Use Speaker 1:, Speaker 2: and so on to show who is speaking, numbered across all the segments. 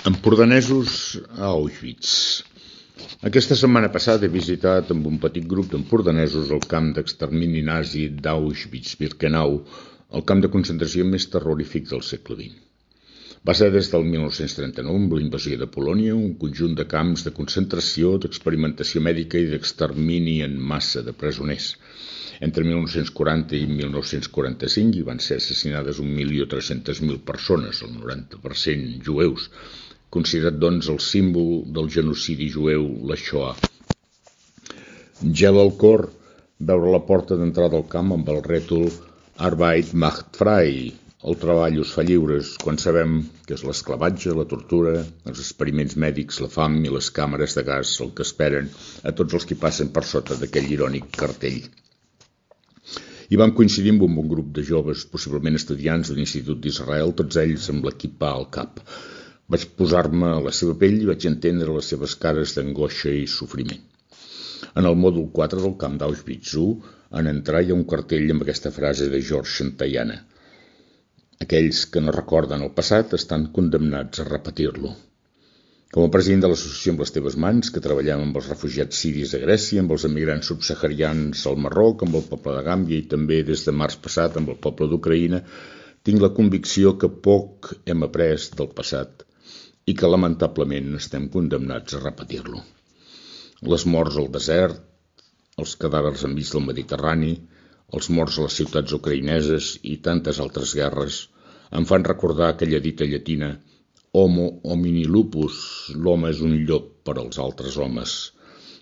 Speaker 1: Empordanesos a Auschwitz. Aquesta setmana passada he visitat amb un petit grup d'empordanesos el camp d'extermini nazi d'Auschwitz-Birkenau, el camp de concentració més terrorífic del segle XX. Va ser des del 1939, amb la invasió de Polònia, un conjunt de camps de concentració, d'experimentació mèdica i d'extermini en massa de presoners. Entre 1940 i 1945 hi van ser assassinades 1.300.000 persones, el 90% jueus, considerat doncs el símbol del genocidi jueu, la Shoah. Gela el cor veure la porta d'entrada al camp amb el rètol Arbeit macht frei, el treball us fa lliures, quan sabem que és l'esclavatge, la tortura, els experiments mèdics, la fam i les càmeres de gas el que esperen a tots els que passen per sota d'aquell irònic cartell. I vam coincidir amb un bon grup de joves, possiblement estudiants de l'Institut d'Israel, tots ells amb l'equipà al cap. Vaig posar-me a la seva pell i vaig entendre les seves cares d'angoixa i sofriment. En el mòdul 4 del camp d'Auschwitz I, en entrar hi ha un cartell amb aquesta frase de George Santayana. Aquells que no recorden el passat estan condemnats a repetir-lo. Com a president de l'associació Amb les teves mans, que treballem amb els refugiats siris de Grècia, amb els emigrants subsaharians al Marroc, amb el poble de Gàmbia i també des de març passat amb el poble d'Ucraïna, tinc la convicció que poc hem après del passat i que lamentablement estem condemnats a repetir-lo. Les morts al desert, els cadàvers enmig del Mediterrani, els morts a les ciutats ucraïneses i tantes altres guerres em fan recordar aquella dita llatina Homo homini lupus, l'home és un llop per als altres homes.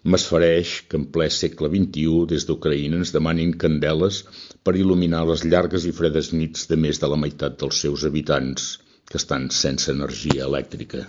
Speaker 1: M'esfereix que en ple segle XXI des d'Ucraïna ens demanin candeles per il·luminar les llargues i fredes nits de més de la meitat dels seus habitants que estan sense energia elèctrica.